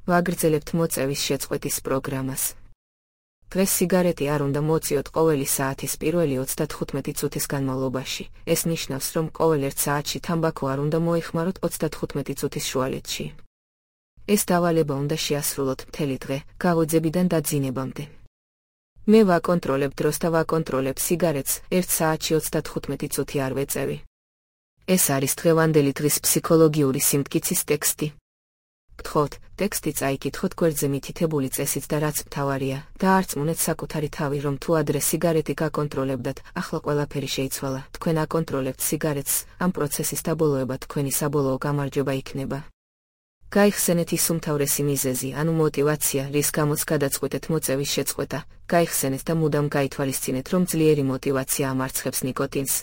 ვაგრძელებთ მოწევის შეწყვეტის პროგრამას. დღეს სიგარეტი არ უნდა მოწიოთ ყოველი საათის პირველი 35 წუთის განმავლობაში. ეს ნიშნავს, რომ ყოველ 1 საათში თამბაქო არ უნდა მოიხმაროთ 35 წუთის შუალედში. ეს დავალება უნდა შეასრულოთ მთელი დღე, გაღვიძებიდან დაძინებამდე. მე ვაკონტროლებ დროს და ვაკონტროლებ სიგარეტს, 1 საათში 35 წუთი არ ვეწევი. ეს არის დღევანდელი დღის ფსიქოლოგიური სიმტკიცის ტექსტი. გთხოვთ, ტექსტი წაიკითხოთ გვერდზე მითითებული წესით და რაც მთავარია, დაარწმუნეთ საკუთარი თავი, რომ თუ ადრე სიგარეტი გაკონტროლებდათ, ახლა ყველაფერი შეიცვალა. თქვენ აკონტროლებთ სიგარეტს, ამ პროცესის დაბოლოება თქვენი საბოლოო გამარჯვება იქნება. გაიხსენეთ ის უმთავრესი მიზეზი, ანუ мотиваცია, რის გამოც გადაწყვეტეთ მოწევის შეწყვეტა. გაიხსენეთ და მუდამ გაითვალისწინეთ, რომ ძლიერი мотиваცია ამარცხებს ნიკოტინს.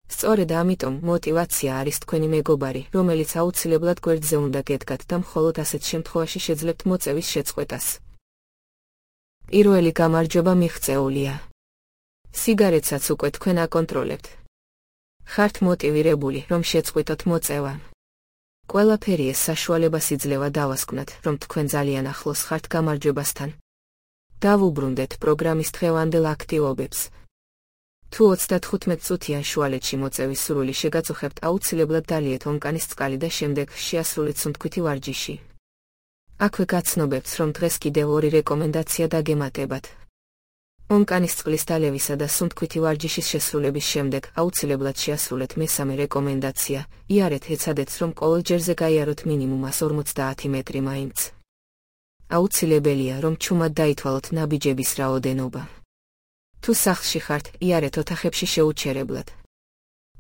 სწორედ ამიტომ мотиваცია არის თქვენი მეგობარი, რომელიც აუცილებლად გვერდზე უნდა გედგათ და მხოლოდ ასეთ შემთხვევაში შეძლებთ მოწევის შეწყვეტას. პირველი გამარჯვება მიღწეულია. სიგარეტსაც უკვე თქვენ აკონტროლებთ. ხართ მოტივირებული, რომ შეწყვიტოთ მოწევა. ყველაფერი ეს საშუალებას იძლევა დავასკვნათ, რომ თქვენ ძალიან ახლოს ხართ გამარჯვებასთან. დავუბრუნდეთ პროგრამის დღევანდელ აქტივობებს. თუ 35 წუთიან შუალედში მოწევის სურვილი შეგაწუხებთ, აუცილებლად დალიეთ ონკანის წყალი და შემდეგ შეასრულეთ სუნთქვითი ვარჯიში. აქვე გაცნობებთ, რომ დღეს კიდევ 2 რეკომენდაცია დაგემატებათ. ონკანის წყლის დალევისა და სუნთქვითი ვარჯიშის შესრულების შემდეგ აუცილებლად შეასრულეთ მესამე რეკომენდაცია. იარეთ ეცადეთ, რომ ყოველ ჯერზე გაიაროთ მინიმუმ 150 მეტრი მაინც. აუცილებელია, რომ ჩუმად დაითვალოთ ნაბიჯების რაოდენობა. თუ სახლში ხართ, იარეთ ოთახებში შეუჩერებლად.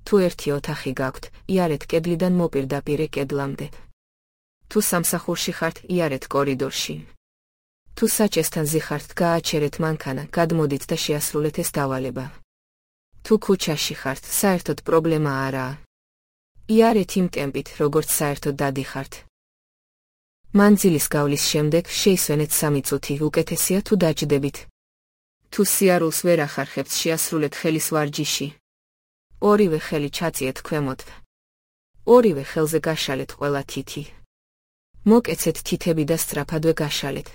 თუ ერთი ოთახი გაქვთ, იარეთ კედლიდან მოპირდაპირე კედლამდე. თუ სამსახურში ხართ, იარეთ კორიდორში. თუ საჭესთან ზიხართ, გააჩერეთ მანქანა, გადმოდით და შეასრულეთ ეს დავალება. თუ ქუჩაში ხართ, საერთოდ პრობლემა არაა. იარეთ იმ ტემპით, როგორც საერთოდ დადიხართ. მანძილის გავლის შემდეგ შეისვენეთ 3 წუთი, უკეთესია თუ დაჯდებით. თუ სიარულს ვერ ახარხებთ, შეასრულეთ ხელის ვარჯიში. ორივე ხელი ჩაწიეთ ქვემოთ. ორივე ხელზე გაშალეთ ყველა თითი. მოკეცეთ თითები და სწრაფადვე გაშალეთ.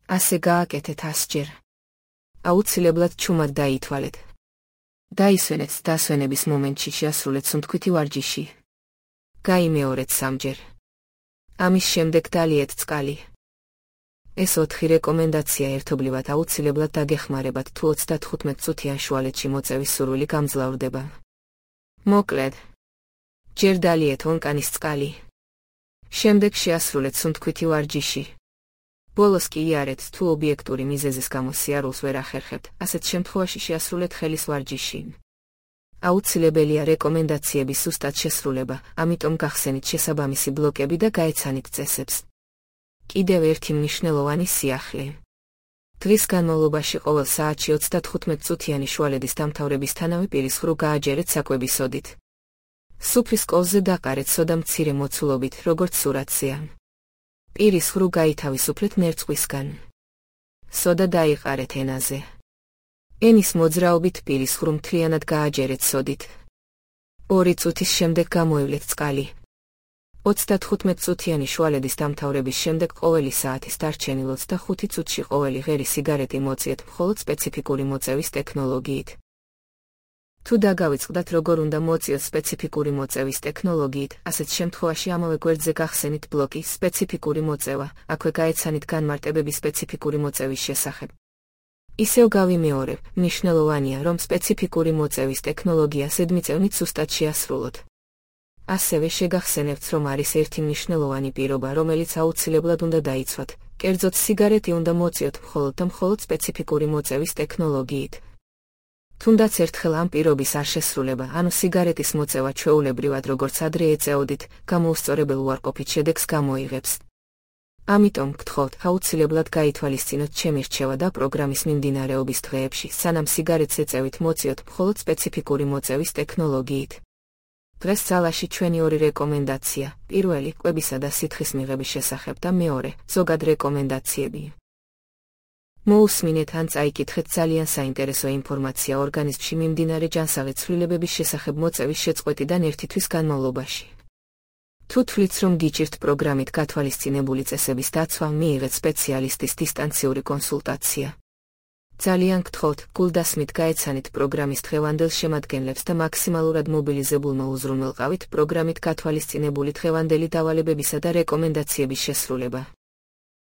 ასე გააკეთეთ 100 ჯერ. აუცილებლად ჩუმად დაითვალეთ. დაისვენეთ დასვენების მომენტში შეასრულეთ სუნთქვითი ვარჯიში. გაიმეორეთ 3 ჯერ. ამის შემდეგ დალიეთ წყალი. ეს 4 რეკომენდაცია ერთობლივად აუცილებლად დაგეხმარებათ, თუ 35 წუთიან შუალედში მოწევის სურვილი გამძლავრდება. მოკლედ, ჯერ დალიეთ ონკანის წყალი. შემდეგ შეასრულეთ სუნთქვითი ვარჯიში. ბოლოს კი იარეთ, თუ ობიექტური მიზეზის გამო სიარულს ვერ ახერხებთ, ასეთ შემთხვევაში შეასრულეთ ხელის ვარჯიში. აუცილებელია რეკომენდაციების ზუსტად შესრულება, ამიტომ გახსენით შესაბამისი ბლოკები და გაეცანით წესებს. კიდევ ერთი მნიშვნელოვანი სიახლე. დღის განმავლობაში ყოველ საათში 35 წუთიანი შუალედის დამთავრებისთანავე პირის ღრუ გააჯერეთ საკვების სოდით. სუფრის კოვზე დაყარეთ სოდა მცირე მოცულობით, როგორც სურათზეა. პირის ღრუ გაითავისუფლეთ ნერწყვისგან. სოდა დაიყარეთ ენაზე. ენის მოძრაობით პირის ღრუ მთლიანად გააჯერეთ სოდით. 2 წუთის შემდეგ გამოევლეთ წყალი. 35 წუთიანი შუალედის დამთავრების შემდეგ ყოველი საათის დარჩენილ 25 წუთში ყოველი ღერი სიგარეტი მოწიეთ მხოლოდ სპეციფიკური მოწევის ტექნოლოგიით. თუ დაგავიწყდათ, როგორ უნდა მოწიოთ სპეციფიკური მოწევის ტექნოლოგიით, ასეთ შემთხვევაში ამავე გვერდზე გახსენით ბლოკი სპეციფიკური მოწევა, აქვე გაეცანით განმარტებები სპეციფიკური მოწევის შესახებ. ისევ გავიმეორებ, მნიშვნელოვანია, რომ სპეციფიკური მოწევის ტექნოლოგია ზედმიწევნით ზუსტად შეასრულოთ. ასევე შეგახსენებთ, რომ არის ერთი მნიშვნელოვანი პირობა, რომელიც აუცილებლად უნდა დაიცვათ. კერძოდ სიგარეტი უნდა მოწიოთ მხოლოდ და მხოლოდ სპეციფიკური მოწევის ტექნოლოგიით. თუნდაც ერთხელ ამ პირობის არ შესრულება, ანუ სიგარეტის მოწევა ჩვეულებრივად, როგორც ადრე ეწეოდით, გამოუსწორებელ უარყოფით შედეგს გამოიღებს. ამიტომ გთხოვთ, აუცილებლად გაითვალისწინოთ ჩემი რჩევა და პროგრამის მიმდინარეობის დღეებში, სანამ სიგარეტს ეწევით, მოწიოთ მხოლოდ სპეციფიკური მოწევის ტექნოლოგიით. დღეს ძალაში ჩვენი 2 რეკომენდაცია, პირველი კვებისა და სითხის მიღების შესახებ და მეორე ზოგად რეკომენდაციები. მოусმინეთ ან წაიკითხეთ ძალიან საინტერესო ინფორმაცია ორგანიზმში მიმდინარე ჯანსაღი ცვლილებების შესახებ მოწევის შეწყვეტიდან 1 თვის განმავლობაში. თუ თვლით, რომ გიჭირთ პროგრამით გათვალისწინებული წესების დაცვა, მიიღეთ სპეციალისტის დისტანციური კონსულტაცია. ძალიან გთხოვთ, გულდასმით გაეცანით პროგრამის დღევანდელ შემადგენლებს და მაქსიმალურად მობილიზებულმა უზრუნველყავით პროგრამით გათვალისწინებული დღევანდელი დავალებებისა და რეკომენდაციების შესრულება.